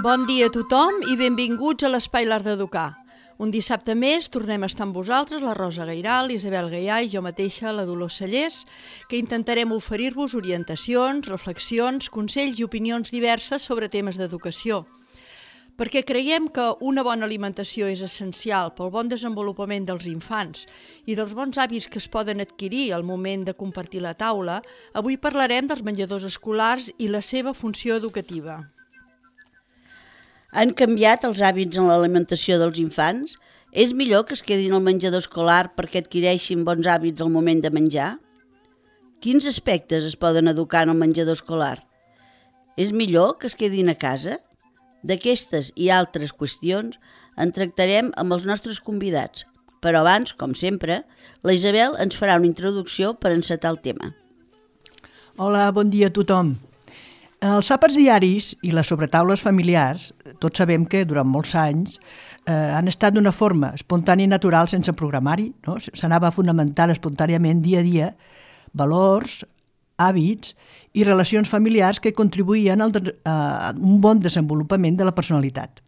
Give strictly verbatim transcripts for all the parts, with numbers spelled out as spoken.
Bon dia a tothom i benvinguts a l'Espai L'Art d'Educar. Un dissabte més tornem a estar amb vosaltres, la Rosa Gairal, l'Isabel Gaià i jo mateixa, la Dolors Cellers, que intentarem oferir-vos orientacions, reflexions, consells i opinions diverses sobre temes d'educació. Perquè creiem que una bona alimentació és essencial pel bon desenvolupament dels infants i dels bons hàbits que es poden adquirir al moment de compartir la taula, avui parlarem dels menjadors escolars i la seva funció educativa. Han canviat els hàbits en l'alimentació dels infants? És millor que es quedin al menjador escolar perquè adquireixin bons hàbits al moment de menjar? Quins aspectes es poden educar en el menjador escolar? És millor que es quedin a casa? D'aquestes i altres qüestions en tractarem amb els nostres convidats, però abans, com sempre, la Isabel ens farà una introducció per encetar el tema. Hola, bon dia a tothom. Els àpats diaris i les sobretaules familiars, tots sabem que durant molts anys eh, han estat d'una forma espontània i natural sense programari, no? S'anava fonamentant espontàniament dia a dia valors, hàbits i relacions familiars que contribuïen al de, a un bon desenvolupament de la personalitat.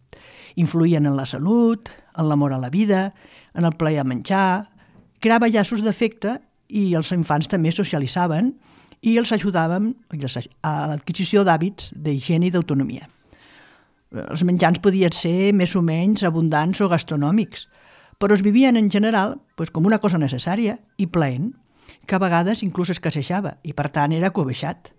Influïen en la salut, en l'amor a la vida, en el plaer a menjar, creava llaços d'afecte i els infants també socialitzaven i els ajudàvem a l'adquisició d'hàbits d'higiene i d'autonomia. Els menjars podien ser més o menys abundants o gastronòmics, però es vivien en general doncs, com una cosa necessària i plaent, que a vegades inclús escassejava i per tant era cobeixat.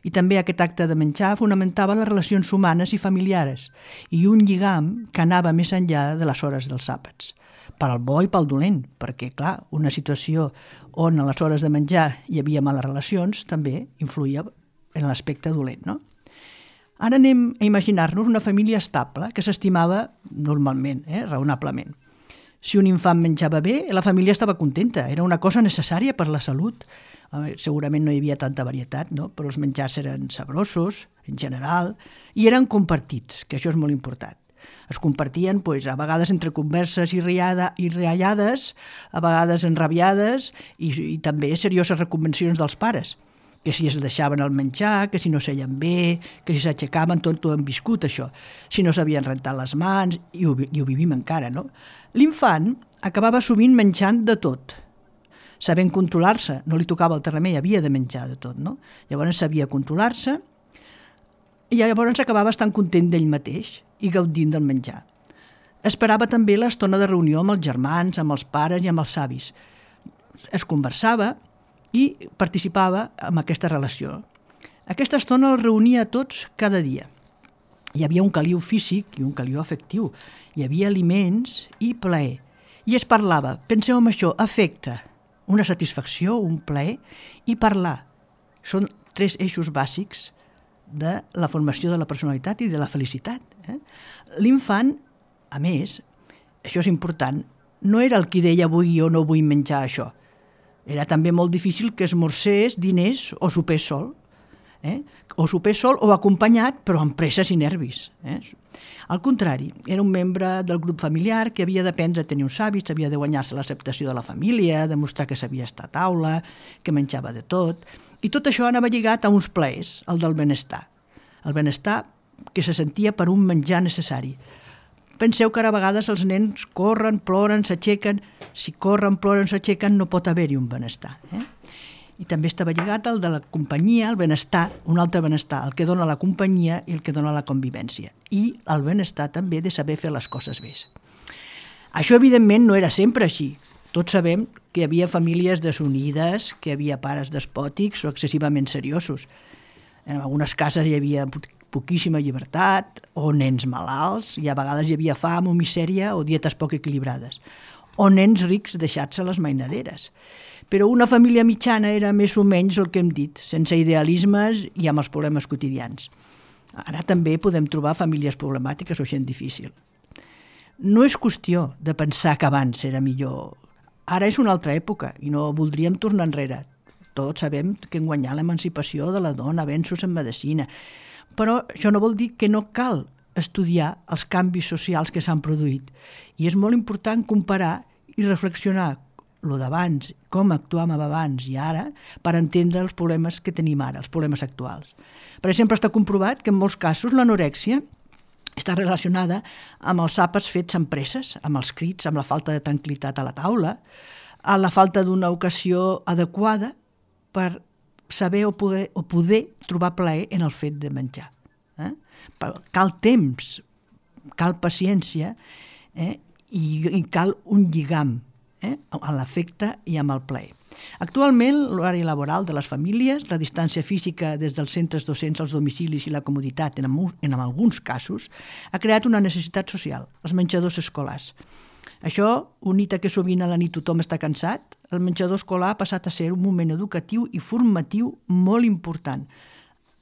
I també aquest acte de menjar fonamentava les relacions humanes i familiars i un lligam que anava més enllà de les hores dels àpats, per al bo i pel dolent, perquè, clar, una situació on a les hores de menjar hi havia males relacions també influïa en l'aspecte dolent, no? Ara anem a imaginar-nos una família estable que s'estimava normalment, eh, raonablement. Si un infant menjava bé, la família estava contenta, era una cosa necessària per la salut. Eh, segurament no hi havia tanta varietat, no? Però els menjars eren sabrosos, en general, i eren compartits, que això és molt important. Es compartien pues, a vegades entre converses i, riada, i riallades, a vegades enrabiades i, i també serioses recomanacions dels pares, que si es deixaven el menjar, que si no seien bé, que si s'aixecaven, tot ho hem viscut això, si no s'havien rentat les mans, i ho, i ho vivim encara, no? L'infant acabava sovint menjant de tot, sabent controlar-se, no li tocava el remei, havia de menjar de tot, no? Llavors sabia controlar-se i llavors acabava estant content d'ell mateix i gaudint del menjar. Esperava també l'estona de reunió amb els germans, amb els pares i amb els avis. Es conversava i participava en aquesta relació. Aquesta estona els reunia a tots cada dia. Hi havia un caliu físic i un caliu afectiu. Hi havia aliments i plaer. I es parlava, penseu en això, afecte, una satisfacció, un plaer i parlar. Són tres eixos bàsics de la formació de la personalitat i de la felicitat. Eh? L'infant, a més, això és important, no era el qui deia vull o no vull menjar això. Era també molt difícil que esmorzés, dinés o sopés sol. Eh? O sopés sol o acompanyat, però amb presses i nervis. Eh? Al contrari, era un membre del grup familiar que havia d'aprendre a tenir uns hàbits, havia de guanyar-se l'acceptació de la família, demostrar que sabia estar a taula, que menjava de tot. I tot això anava lligat a uns plaers, el del benestar. El benestar que se sentia per un menjar necessari. Penseu que ara a vegades els nens corren, ploren, s'aixequen. Si corren, ploren, s'aixequen, no pot haver-hi un benestar. Eh? I també estava lligat al de la companyia, el benestar, un altre benestar, el que dona la companyia i el que dona la convivència. I el benestar també de saber fer les coses bé. Això, evidentment, no era sempre així. Tots sabem que hi havia famílies desunides, que hi havia pares despòtics o excessivament seriosos. En algunes cases hi havia poquíssima llibertat, o nens malalts, i a vegades hi havia fam o misèria o dietes poc equilibrades, o nens rics deixats a les mainaderes. Però una família mitjana era més o menys el que hem dit, sense idealismes i amb els problemes quotidians. Ara també podem trobar famílies problemàtiques o gent difícil. No és qüestió de pensar que abans era millor. Ara és una altra època i no voldríem tornar enrere. Tots sabem que hem guanyat l'emancipació de la dona, avenços en medicina. Però això no vol dir que no cal estudiar els canvis socials que s'han produït. I és molt important comparar i reflexionar el d'abans, com actuàvem abans i ara, per entendre els problemes que tenim ara, els problemes actuals. Per exemple, està comprovat que en molts casos l'anorèxia està relacionada amb els àpats fets amb presses, amb els crits, amb la falta de tranquil·litat a la taula, a la falta d'una ocasió adequada per saber o poder, o poder trobar plaer en el fet de menjar. Eh? Cal temps, cal paciència eh? I, i cal un lligam eh? a l'afecte i amb el plaer. Actualment, l'horari laboral de les famílies, la distància física des dels centres docents als domicilis i la comoditat en, en alguns casos, ha creat una necessitat social, els menjadors escolars. Això, unit a que sovint a la nit tothom està cansat, el menjador escolar ha passat a ser un moment educatiu i formatiu molt important,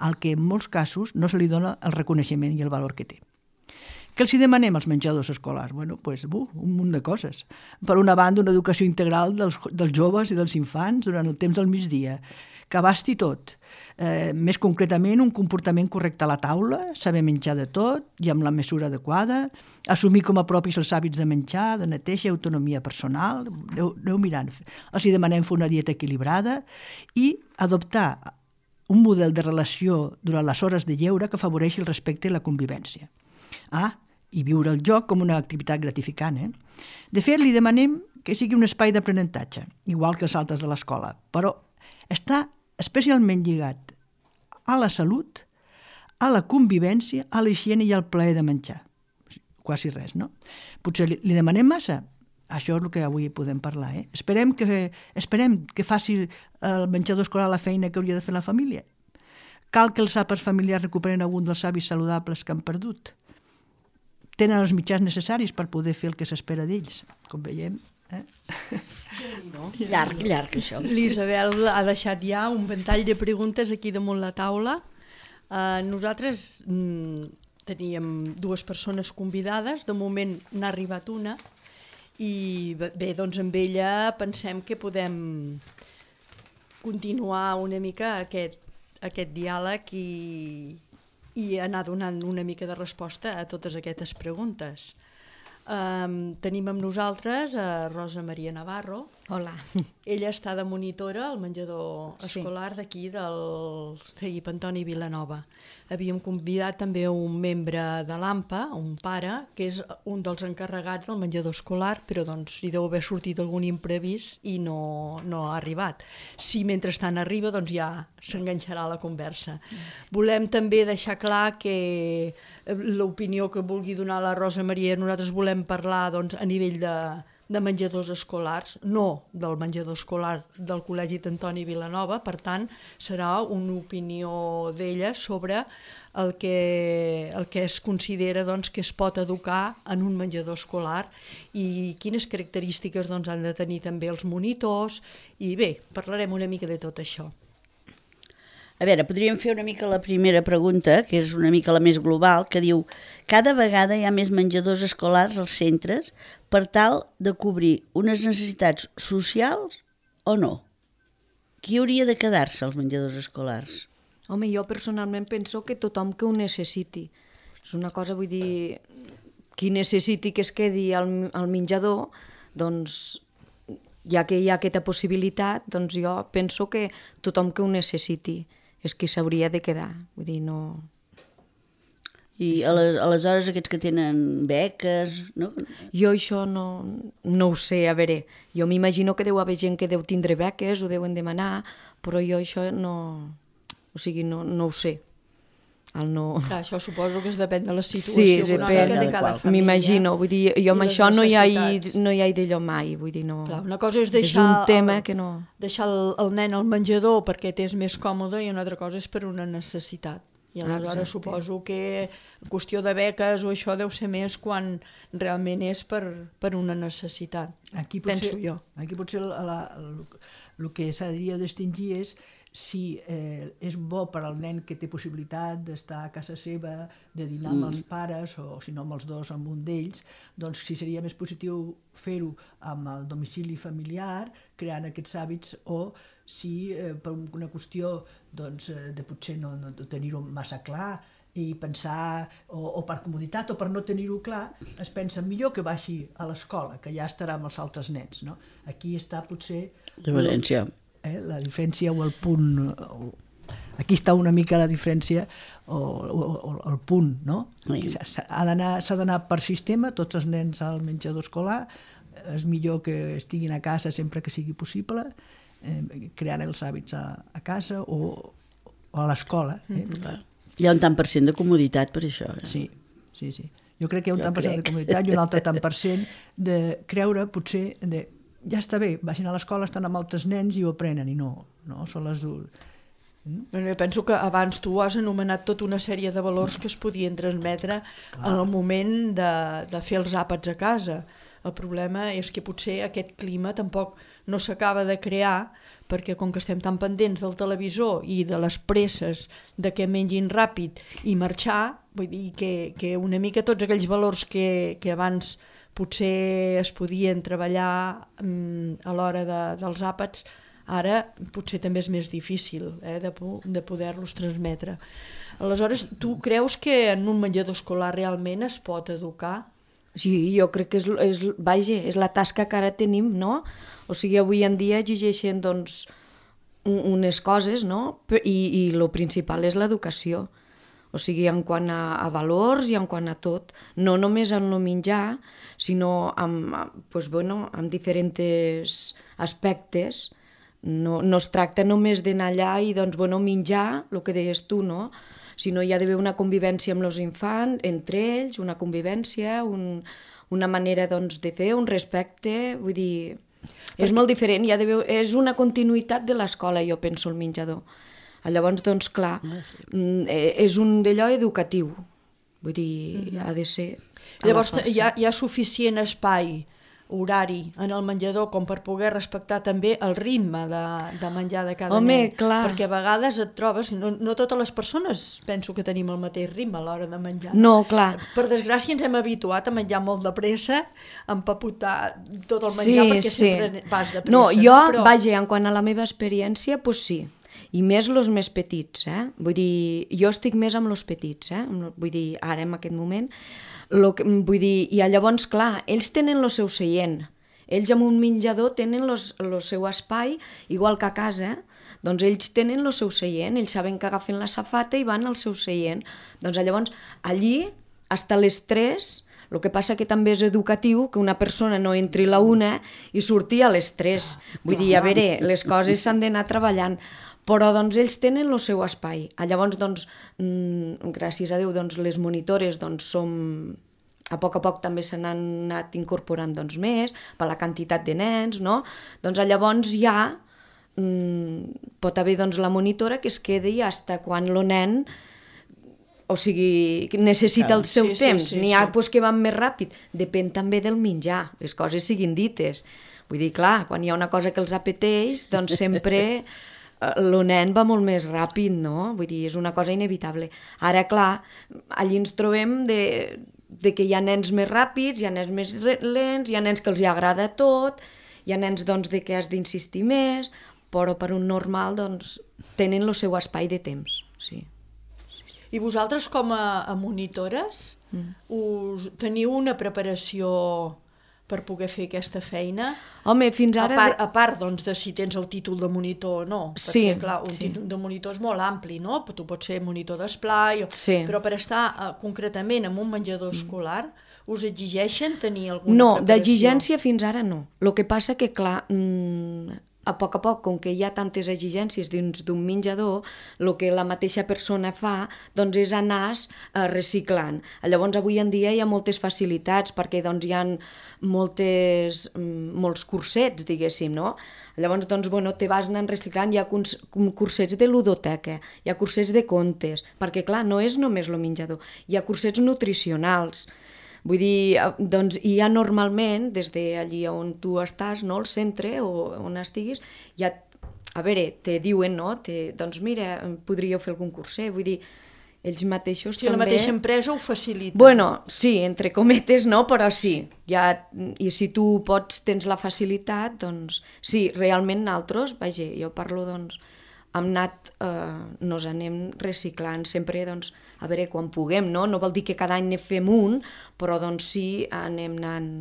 al que en molts casos no se li dona el reconeixement i el valor que té. Què els hi demanem als menjadors escolars? Bueno, pues, uh, un munt de coses. Per una banda, una educació integral dels, dels joves i dels infants durant el temps del migdia, que abasti tot. Eh, més concretament, un comportament correcte a la taula, saber menjar de tot i amb la mesura adequada, assumir com a propis els hàbits de menjar, de neteja i autonomia personal, aneu, aneu mirant. Els hi demanem fer una dieta equilibrada i adoptar un model de relació durant les hores de lleure que afavoreixi el respecte i la convivència. Ah, i viure el joc com una activitat gratificant. Eh? De fet, li demanem que sigui un espai d'aprenentatge, igual que els altres de l'escola, però està especialment lligat a la salut, a la convivència, a la higiene i al plaer de menjar. Quasi res, no? Potser li, li demanem massa? Això és el que avui podem parlar. Eh? Esperem, que, esperem que faci el menjador escolar la feina que hauria de fer la família. Cal que els àpats familiars recuperen algun dels hàbits saludables que han perdut. Tenen els mitjans necessaris per poder fer el que s'espera d'ells, com veiem. Eh? No? Llarg, llarg, això. L'Isabel ha deixat ja un ventall de preguntes aquí damunt la taula. Uh, nosaltres mm, teníem dues persones convidades, de moment n'ha arribat una, i bé, doncs amb ella pensem que podem continuar una mica aquest, aquest diàleg i... i anar donant una mica de resposta a totes aquestes preguntes. Um, tenim amb nosaltres a Rosa Maria Navarro. Hola. Ella està de monitora al menjador escolar sí. d'aquí del C I P Antoni Vilanova. Havíem convidat també un membre de l'AMPA, un pare, que és un dels encarregats del menjador escolar, però doncs hi deu haver sortit algun imprevist i no, no ha arribat. Si mentrestant arriba, doncs ja s'enganxarà la conversa. Mm. Volem també deixar clar que l'opinió que vulgui donar la Rosa Maria, nosaltres volem parlar doncs, a nivell de, de menjadors escolars, no del menjador escolar del Col·legi d'Antoni Vilanova, per tant, serà una opinió d'ella sobre el que, el que es considera doncs, que es pot educar en un menjador escolar i quines característiques doncs, han de tenir també els monitors, i bé, parlarem una mica de tot això. A veure, podríem fer una mica la primera pregunta, que és una mica la més global, que diu: cada vegada hi ha més menjadors escolars als centres per tal de cobrir unes necessitats socials o no? Qui hauria de quedar-se als menjadors escolars? Home, jo personalment penso que tothom que ho necessiti. És una cosa, vull dir, qui necessiti que es quedi al, al menjador, doncs, ja que hi ha aquesta possibilitat, doncs jo penso que tothom que ho necessiti és qui s'hauria de quedar, vull dir, no... I aleshores aquests que tenen beques, no? Jo això no, no ho sé, a veure, jo m'imagino que deu haver gent que deu tindre beques, ho deuen demanar, però jo això no, o sigui, no, no ho sé. El no... Clar, això suposo que es depèn de la situació sí, econòmica depèn, de cada família. M'imagino, vull dir, jo amb això no hi ha, no hi ha d'allò mai, vull dir, no... Clar, una cosa és deixar, és un tema el, que no... deixar el, el nen al menjador perquè t'és més còmode, i una altra cosa és per una necessitat. I aleshores Exacte. Suposo que qüestió de beques o això deu ser més quan realment és per, per una necessitat, aquí potser, penso jo. Aquí potser la, la, el, el que s'hauria de distingir és si eh, és bo per al nen que té possibilitat d'estar a casa seva, de dinar amb mm. els pares, o si no amb els dos, amb un d'ells, doncs si seria més positiu fer-ho amb el domicili familiar, creant aquests hàbits, o si eh, per una qüestió doncs, de potser no, no tenir-ho massa clar, i pensar, o, o per comoditat o per no tenir-ho clar, es pensa millor que baixi a l'escola, que ja estarà amb els altres nens, no? Aquí està potser La diferència. Eh, la diferència o el punt, o, aquí està una mica la diferència o, o, o el punt, no? Sí. S'ha d'anar, s'ha d'anar per sistema, tots els nens al menjador escolar, és millor que estiguin a casa sempre que sigui possible, eh, creant els hàbits a, a casa o, o a l'escola. Eh? Mm-hmm. Hi ha un tant per cent de comoditat per això. Eh? Sí, sí, sí. Jo crec que hi ha un Jo tant per cent de crec. comoditat i un altre tant per cent de creure, potser, de ja està bé, vagin a l'escola, estan amb altres nens i ho aprenen, i no, no, són les adults. Bueno, jo penso que abans tu has anomenat tota una sèrie de valors que es podien transmetre en el moment de, de fer els àpats a casa. El problema és que potser aquest clima tampoc no s'acaba de crear, perquè com que estem tan pendents del televisor i de les presses de que mengin ràpid i marxar, vull dir que, que una mica tots aquells valors que, que abans potser es podien treballar mm, a l'hora de, dels àpats, ara potser també és més difícil eh, de, de poder-los transmetre. Aleshores, tu creus que en un menjador escolar realment es pot educar? Sí, jo crec que és, és, vaja, és la tasca que ara tenim, no? O sigui, avui en dia exigeixen, doncs, unes coses, no? I, i el principal és l'educació. O sigui, en quant a, a valors i en quant a tot. No només en el menjar, sinó amb, pues, bueno, amb diferents aspectes. No, no es tracta només d'anar allà i, doncs, bueno, menjar, el que deies tu, no? Sinó hi ha d'haver una convivència amb els infants, entre ells, una convivència, un, una manera, doncs, de fer, un respecte, vull dir, és molt diferent, hi ha d'haver, és una continuïtat de l'escola, jo penso, el menjador. Llavors, doncs, clar, és un d'allò educatiu, vull dir, ha de ser... Llavors, hi ha, hi ha suficient espai horari en el menjador com per poder respectar també el ritme de, de menjar de cada Home, nen. clar. Perquè a vegades et trobes, no, no totes les persones penso que tenim el mateix ritme a l'hora de menjar. No, clar. Per desgràcia ens hem habituat a menjar molt de pressa, a empapotar tot el menjar, sí, perquè sí. sempre vas de pressa. No, jo, Però... vaja, en quant a la meva experiència, doncs pues sí. I més els més petits, eh? Vull dir, jo estic més amb els petits, eh? Vull dir, ara en aquest moment... Lo que, vull dir, i llavors, clar, ells tenen el seu seient. Ells en un menjador tenen el seu espai, igual que a casa, eh? Doncs ells tenen el seu seient, ells saben que agafen la safata i van al seu seient. Doncs llavors, allí, fins a les tres, el que passa que també és educatiu que una persona no entri a la una i surti a les tres. Vull dir, a veure, les coses s'han d'anar treballant. Però doncs, ells tenen el seu espai. Llavors, doncs, mmm, gràcies a Déu, doncs, les monitores doncs, som... a poc a poc també se n'han anat incorporant doncs, més, per la quantitat de nens, no? Doncs llavors ja mmm, pot haver doncs, la monitora que es quedi fins quan el nen o sigui, necessita el seu sí, temps. sí, sí, N'hi ha sí. pues, que van més ràpid. Depèn també del menjar, les coses siguin dites. Vull dir, clar, quan hi ha una cosa que els apeteix, doncs sempre... el nen va molt més ràpid, no? Vull dir, és una cosa inevitable. Ara, clar, allí ens trobem de, de que hi ha nens més ràpids, hi ha nens més lents, hi ha nens que els hi agrada tot, hi ha nens doncs, de que has d'insistir més, però per un normal doncs, tenen el seu espai de temps. Sí. I vosaltres, com a, a monitores, mm. us, teniu una preparació per poder fer aquesta feina? Home, fins ara... A part, a part doncs, de si tens el títol de monitor o no. Sí, perquè, clar, un sí. títol de monitor és molt ampli, no? Tu pots ser monitor d'esplai, o... Sí. però per estar uh, concretament en un menjador escolar, us exigeixen tenir alguna No, preparació? d'exigència fins ara no. El que passa que, clar, mmm, a poc a poc, com que hi ha tantes exigències dins d'un menjador, el que la mateixa persona fa doncs, és anar eh, reciclant. Llavors, avui en dia hi ha moltes facilitats perquè doncs, hi ha moltes, molts cursets, diguéssim, no? Llavors, doncs, bueno, te vas anant reciclant, hi ha cursets de ludoteca, hi ha cursets de contes, perquè, clar, no és només el menjador, hi ha cursets nutricionals. Vull dir, doncs hi ha normalment, des d'allí on tu estàs, no, al centre o on estiguis, hi ha, a veure, te diuen, no, te, doncs mira, podríeu fer algun curset, vull dir, ells mateixos si també... la mateixa empresa ho facilita. Bueno, sí, entre cometes no, però sí. Ja, i si tu pots, tens la facilitat, doncs sí, realment nosaltres, vaja, jo parlo doncs hem anat, eh, nos anem reciclant sempre, doncs, a veure, quan puguem, no? No vol dir que cada any ne fem un, però doncs sí, anem anant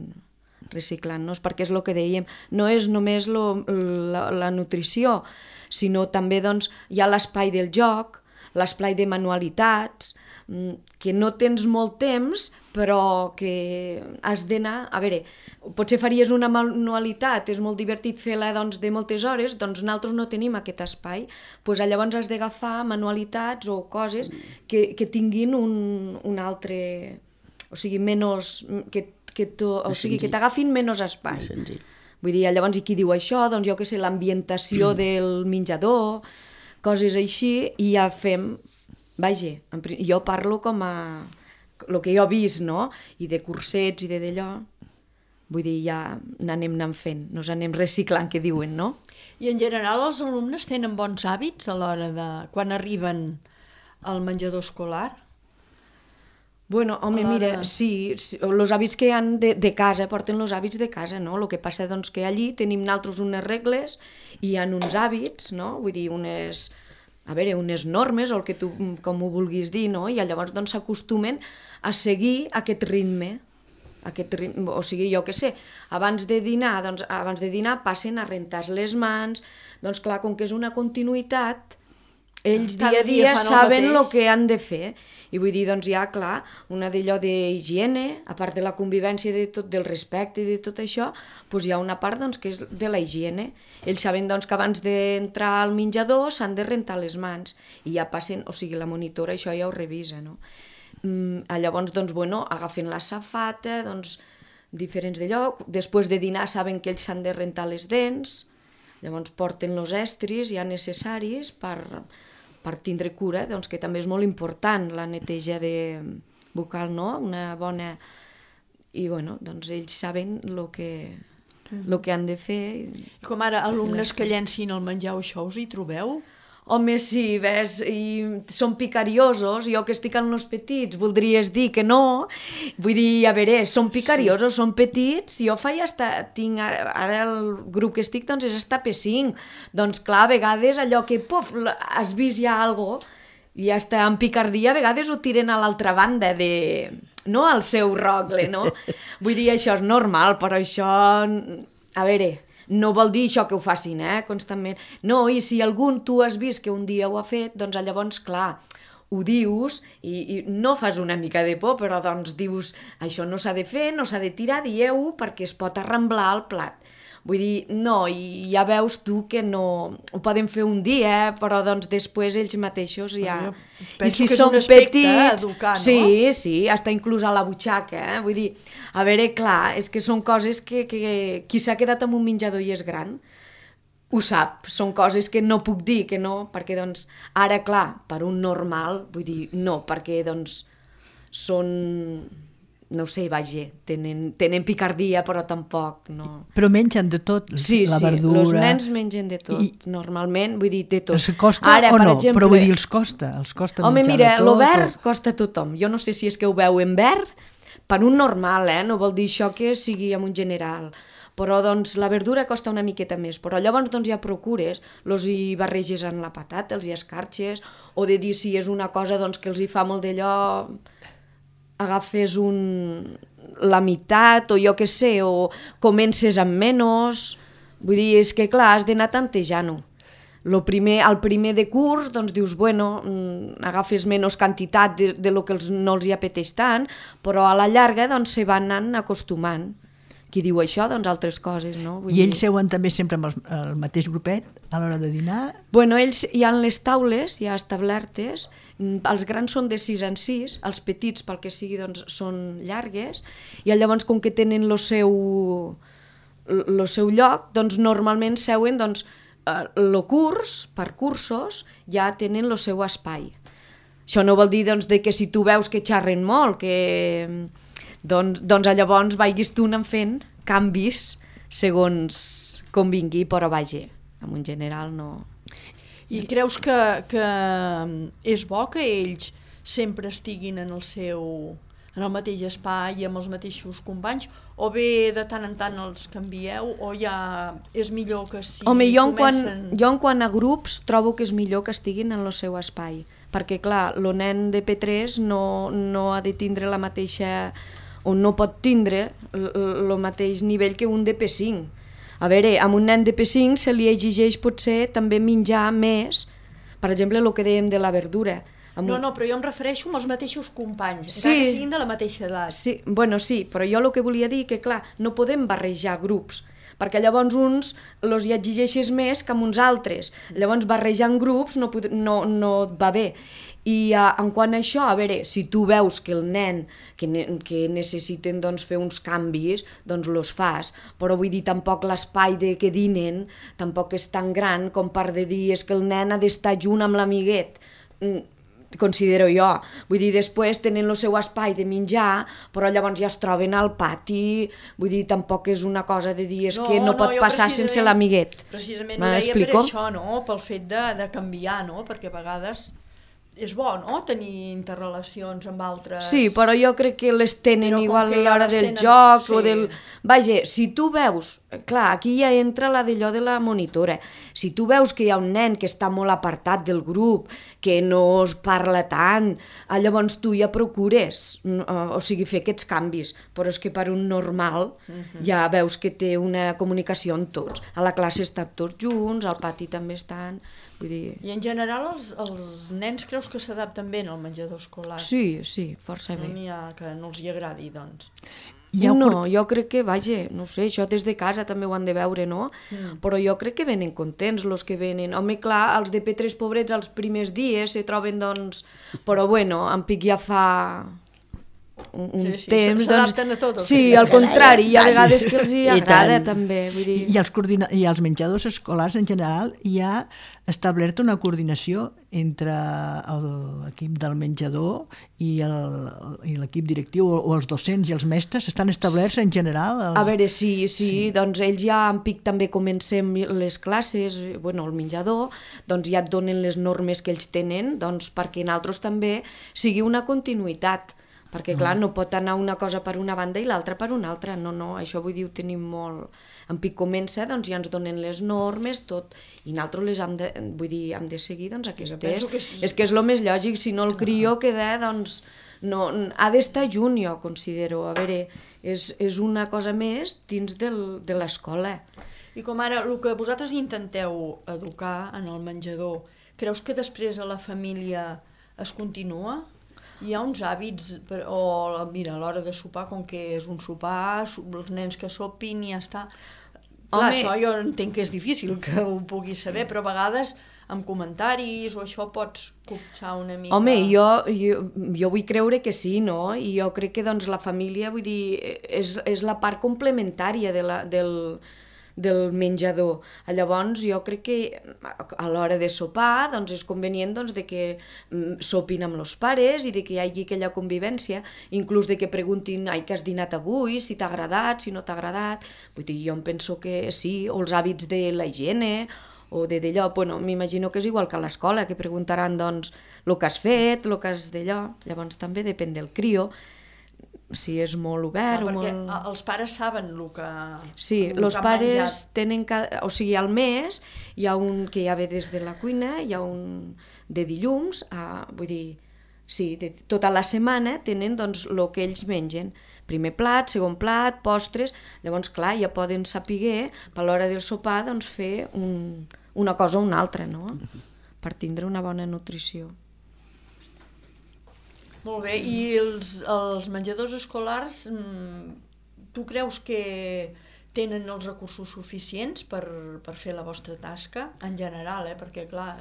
reciclant-nos, perquè és el que dèiem, no és només lo, la, la nutrició, sinó també doncs, hi ha l'espai del joc, l'espai de manualitats, que no tens molt temps, però que has d'anar... A veure, potser faries una manualitat, és molt divertit fer-la doncs, de moltes hores, doncs nosaltres no tenim aquest espai, doncs llavors has d'agafar manualitats o coses que, que tinguin un, un altre... O sigui, menys... Que, que, to, o sigui, que t'agafin menys espai. Vull dir, llavors, i qui diu això? Doncs jo què sé, l'ambientació del menjador, coses així, i ja fem... Vaja, jo parlo com a... el que jo he vist, no? I de cursets i de d'allò. Vull dir, ja n'anem anant fent, nos anem reciclant, que diuen, no? I en general els alumnes tenen bons hàbits a l'hora de... quan arriben al menjador escolar? Bueno, home, mira, sí, els hàbits que hi ha de, de casa, porten els hàbits de casa, no? El que passa, doncs, que allí tenim nosaltres unes regles i hi ha uns hàbits, no? Vull dir, unes... a veure, unes normes, o el que tu, com ho vulguis dir, no? I llavors doncs s'acostumen a seguir aquest ritme, aquest ritme, o sigui, jo què sé, abans de dinar, doncs abans de dinar passen a rentar les mans, doncs clar, com que és una continuïtat, ells dia a dia saben el que han de fer, i vull dir, doncs ja, clar, una d'allò d'higiene, a part de la convivència de tot, del respecte i de tot això, doncs hi ha una part doncs, que és de la higiene. Ells saben doncs, que abans d'entrar al menjador s'han de rentar les mans, i ja passen, o sigui, la monitora això ja ho revisa, no? Mm, llavors, doncs, bueno, agafen la safata, doncs, diferents d'allò, després de dinar saben que ells s'han de rentar les dents, llavors porten els estris ja necessaris per... per tindre cura, doncs, que també és molt important la neteja de bucal, no? Una bona... I, bueno, doncs ells saben el que, el que han de fer. I com ara, alumnes que llencin el menjar o això, us hi trobeu? Home, sí, ves, i són picariosos, jo que estic amb els petits, voldries dir que no, vull dir, a veure, són picariosos, sí. Són petits, jo faig hasta, tinc, ara, ara el grup que estic, doncs és hasta P cinc, doncs clar, a vegades allò que, puf, has vist ja algo, i hasta en picardia a vegades ho tiren a l'altra banda de... no al seu rogle, no? Vull dir, això és normal, però això, a veure... No vol dir això que ho facin, eh, constantment. No, i si algun tu has vist que un dia ho ha fet, doncs llavors, clar, ho dius i, i no fas una mica de por, però doncs dius, això no s'ha de fer, no s'ha de tirar, dieu-ho, perquè es pot arramblar el plat. Vull dir, no, i ja veus tu que no... Ho poden fer un dia, però doncs després ells mateixos ja... Penso I si que és un aspecte petits, educar, no? Sí, sí, hasta inclús a la butxaca, eh? Vull dir, a veure, clar, és que són coses que, que qui s'ha quedat amb un menjador i és gran ho sap, són coses que no puc dir, que no, perquè doncs ara, clar, per un normal, vull dir, no, perquè doncs són... no sé, vaja, tenen, tenen picardia, però tampoc, no... Però mengen de tot, sí, la sí, verdura... Sí, els nens mengen de tot, I... normalment, vull dir, de tot. Els costa Ara, o no? Exemple... Però vull dir, els costa, els costa Home, menjar mira, de tot. Home, mira, el verd o... costa a tothom. Jo no sé si és que ho veuen verd, per un normal, eh? No vol dir això que sigui en un general. Però, doncs, la verdura costa una miqueta més. Però llavors, doncs, ja procures, els hi barreges en la patata, els hi escarxes, o de dir si és una cosa, doncs, que els hi fa molt d'allò... agafes un... la meitat, o jo què sé, o comences amb menys... Vull dir, és que clar, has d'anar tantejant-ho. Lo primer, el primer de curs, doncs dius, bueno, agafes menys quantitat de, de lo que els, no els hi apeteix tant, però a la llarga, doncs, se van anant acostumant. Qui diu això, doncs altres coses, no? Vull I ells dir... seuen també sempre amb el, el mateix grupet a l'hora de dinar? Bueno, ells hi ha les taules ja establertes, els grans són de sis en sis, els petits, pel que sigui, doncs, són llargues, i llavors, com que tenen el seu, el seu lloc, doncs normalment seuen, doncs, el curs, per cursos, ja tenen el seu espai. Això no vol dir, doncs, de que si tu veus que xerren molt, que... Doncs, doncs llavors vagis tu anant fent canvis segons com vingui, però vaja, en un general no... I creus que, que és bo que ells sempre estiguin en el seu en el mateix espai i amb els mateixos companys, O bé de tant en tant els canvieu, o ja és millor que si Home, jo en, comencen... quan, jo en quant a grups trobo que és millor que estiguin en el seu espai, perquè clar, el nen de P tres no, no ha de tindre la mateixa, o no pot tindre el mateix nivell que un de P cinc. A veure, amb un nen de P cinc se li exigeix potser també menjar més, per exemple, el que dèiem de la verdura. No, no, però jo em refereixo als mateixos companys, sí, encara que siguin de la mateixa edat. Sí, bueno, sí, però jo el que volia dir que, clar, no podem barrejar grups, perquè llavors uns els hi exigeixes més que amb uns altres. Llavors barrejant grups no, pod... no, no et va bé. I uh, en quant a això, a veure, si tu veus que el nen que, ne que necessiten doncs, fer uns canvis, doncs los fas, però vull dir, tampoc l'espai de que dinen tampoc és tan gran com per de dir és que el nen ha d'estar junt amb l'amiguet. Mm, considero jo, vull dir, després tenen el seu espai de menjar, però llavors ja es troben al pati, vull dir, tampoc és una cosa de dir és no, que no, no pot passar sense l'amiguet. Precisament ho deia per això, no? Pel fet de, de canviar, no? Perquè a vegades és bo, no?, tenir interrelacions amb altres... Sí, però jo crec que les tenen però igual a l'hora del tenen... joc sí. o del... Vaja, si tu veus... Clar, aquí ja entra la d'allò de la monitora. Si tu veus que hi ha un nen que està molt apartat del grup, que no es parla tant, llavors tu ja procures, o sigui, fer aquests canvis. Però és que per un normal uh-huh. ja veus que té una comunicació amb tots. A la classe estan tots junts, al pati també estan... Vull dir... I en general els, els nens creus que s'adapten bé al menjador escolar? Sí, sí, força bé. No n'hi ha que no els hi agradi, doncs. Ja no, cort... jo crec que, vaja, no sé, això des de casa també ho han de veure, no? Mm. Però jo crec que venen contents els que venen. Home, clar, els de P tres pobrets els primers dies se troben, doncs... Però bueno, en Pic ja fa... un, un sí, sí, temps, doncs... A tot, sí, al contrari, hi ha vegades que els hi agrada també, vull dir... I als, coordina... I als menjadors escolars en general hi ha establert una coordinació entre l'equip del menjador i l'equip directiu o els docents i els mestres, estan establerts en general? El... A veure, sí, sí, sí, doncs ells ja en Pic també comencem les classes, bueno, el menjador, doncs ja et donen les normes que ells tenen, doncs perquè en altres també sigui una continuïtat, perquè clar, no pot anar una cosa per una banda i l'altra per una altra, no, no, això vull dir, ho tenim molt... En Pic comença, doncs ja ens donen les normes, tot, i nosaltres les hem de, vull dir, hem de seguir, doncs aquestes. Que és... és que és el més lògic, si no el crió queda, doncs, no, ha d'estar junt, jo considero, a veure, és, és una cosa més dins del, de l'escola. I com ara, el que vosaltres intenteu educar en el menjador, creus que després a la família es continua? Hi ha uns hàbits, o mira, a l'hora de sopar, com que és un sopar, els nens que sopin i ja està. Clar, Home... això jo entenc que és difícil que ho puguis saber, però a vegades amb comentaris o això pots copsar una mica... Home, jo, jo, jo vull creure que sí, no? I jo crec que doncs, la família, vull dir, és, és la part complementària de la, del... del menjador. Llavors jo crec que a l'hora de sopar doncs és convenient doncs, de que sopin amb els pares i de que hi hagi aquella convivència, inclús de que preguntin ai, què has dinat avui, si t'ha agradat, si no t'ha agradat. Vull dir, jo em penso que sí, o els hàbits de la higiene o de d'allò, bueno, m'imagino que és igual que a l'escola, que preguntaran doncs el que has fet, el que has d'allò, llavors també depèn del crio, si és molt obert ah, o perquè molt... els pares saben el que Sí, els pares menjat. Tenen... Cada... O sigui, al mes hi ha un que ja ve des de la cuina, hi ha un de dilluns, a... vull dir, sí, de... tota la setmana tenen doncs el que ells mengen. Primer plat, segon plat, postres, llavors clar, ja poden saber a l'hora del sopar doncs, fer un... una cosa o una altra, no? Per tindre una bona nutrició. Molt bé, i els, els menjadors escolars, tu creus que tenen els recursos suficients per, per fer la vostra tasca, en general, eh? Perquè clar,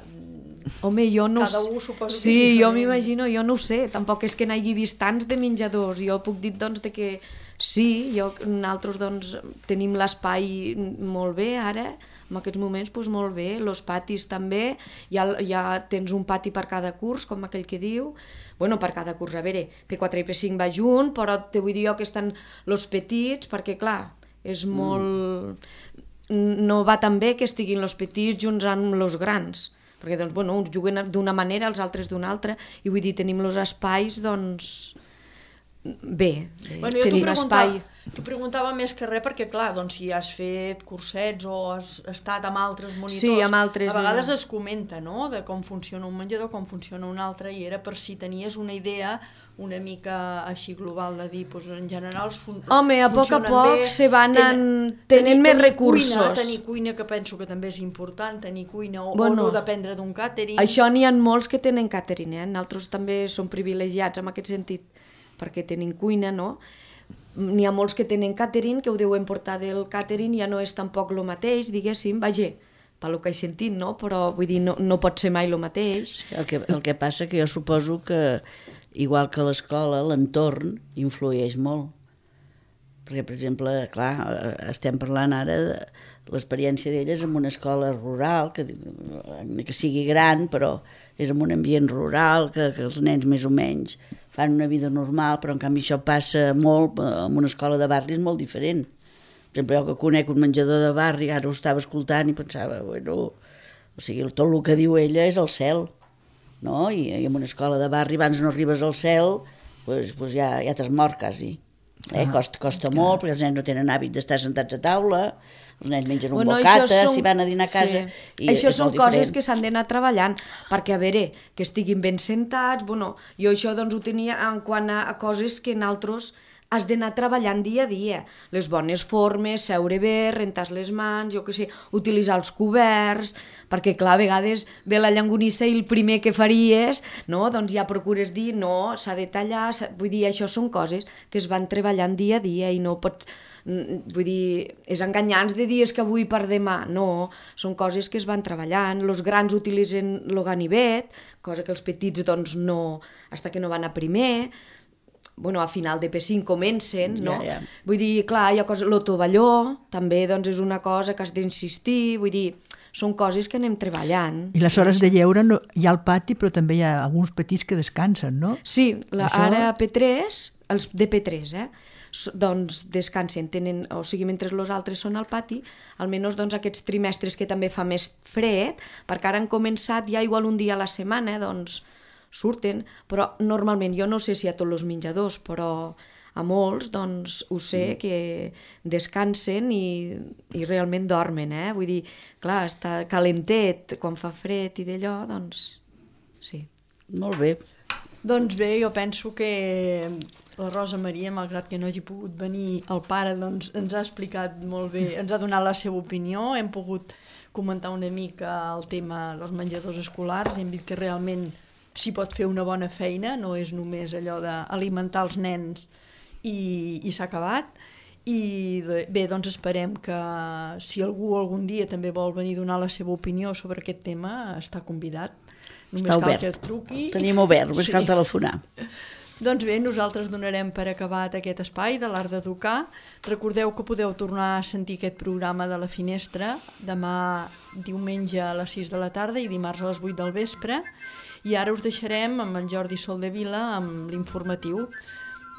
Home, jo no cada un suposo sí, que és diferent. Jo m'imagino, jo no ho sé, tampoc és que n'hagi vist tants de menjadors, jo puc dir doncs, de que sí, jo, nosaltres doncs, tenim l'espai molt bé ara, en aquests moments doncs, molt bé, els patis també, ja, ja tens un pati per cada curs, com aquell que diu, bueno, per cada curs, a veure, P quatre i P cinc va junt, però te vull dir jo que estan els petits, perquè clar, és molt... Mm. No va tan bé que estiguin els petits junts amb els grans, perquè doncs, bueno, uns juguen d'una manera, els altres d'una altra, i vull dir, tenim els espais, doncs, bé, bé bueno, tenim espai... T'ho preguntava més que res perquè, clar, doncs, si has fet cursets o has estat amb altres monitors, sí, amb altres, a vegades eh... es comenta, no?, de com funciona un menjador, com funciona un altre, i era per si tenies una idea una mica així global de dir, doncs, en general fun Home, a poc a poc bé, se van tenen, tenint tenir, més tenir recursos. Cuina, tenir cuina, que penso que també és important, tenir cuina o, bueno, o no dependre d'un càtering. Això n'hi ha molts que tenen càtering, eh? Nosaltres també som privilegiats en aquest sentit, perquè tenim cuina, no? N'hi ha molts que tenen càtering, que ho deuen portar del càtering, ja no és tampoc el mateix, diguéssim, vaja, pel que he sentit, no? Però vull dir, no, no pot ser mai el mateix. El que, el que passa que jo suposo que, igual que l'escola, l'entorn influeix molt. Perquè, per exemple, clar, estem parlant ara de l'experiència d'elles en una escola rural, que, que sigui gran, però és en un ambient rural, que, que els nens més o menys fan una vida normal, però en canvi això passa molt, en una escola de barri és molt diferent. Per exemple, jo que conec un menjador de barri, ara ho estava escoltant i pensava, bueno, o sigui, tot el que diu ella és el cel, no? I, i en una escola de barri, abans no arribes al cel, doncs, doncs ja, ja t'has mort quasi. Eh? Ah, costa, costa ah. molt, perquè els nens no tenen hàbit d'estar sentats a taula, els nens mengen un bueno, bocata, són... si van a dinar a casa... Sí. I això són coses diferent. que s'han d'anar treballant, perquè, a veure, que estiguin ben sentats... Bueno, jo això doncs, ho tenia en quant a, a coses que nosaltres has d'anar treballant dia a dia. Les bones formes, seure bé, rentar les mans, jo què sé, utilitzar els coberts, perquè, clar, a vegades ve la llangonissa i el primer que faries, no? Doncs ja procures dir, no, s'ha de tallar... Vull dir, això són coses que es van treballant dia a dia i no pots... Vull dir, és enganyar-nos de dir que avui per demà, no, són coses que es van treballant, els grans utilitzen el ganivet, cosa que els petits doncs no, fins que no van a primer, bueno, a final de P cinc comencen, no? Ja, ja. Vull dir, clar, hi ha coses, el tovalló també doncs és una cosa que has d'insistir, vull dir, són coses que anem treballant. I les hores de lleure no, hi ha al pati, però també hi ha alguns petits que descansen, no? Sí, la, Això... ara a P tres, els de P tres, eh? Doncs descansen, tenen, o sigui, mentre els altres són al pati, almenys doncs, aquests trimestres que també fa més fred, perquè ara han començat ja igual un dia a la setmana, doncs surten, però normalment, jo no sé si a tots els menjadors, però a molts, doncs, ho sé que descansen i, i realment dormen, eh? Vull dir, clar, està calentet, quan fa fred i d'allò, doncs, sí. Molt bé. Doncs bé, jo penso que la Rosa Maria, malgrat que no hagi pogut venir el pare, doncs ens ha explicat molt bé, ens ha donat la seva opinió, hem pogut comentar una mica el tema dels menjadors escolars, hem dit que realment s'hi pot fer una bona feina, no és només allò d'alimentar els nens i, i s'ha acabat. I bé, doncs esperem que si algú algun dia també vol venir a donar la seva opinió sobre aquest tema, està convidat. Només està cal obert. que truqui. Tenim obert, només sí. cal telefonar. Doncs bé, nosaltres donarem per acabat aquest espai de l'Art d'Educar. Recordeu que podeu tornar a sentir aquest programa de la Finestra demà diumenge a les sis de la tarda i dimarts a les vuit del vespre. I ara us deixarem amb en Jordi Soldevila amb l'informatiu.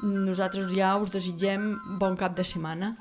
Nosaltres ja us desitgem bon cap de setmana.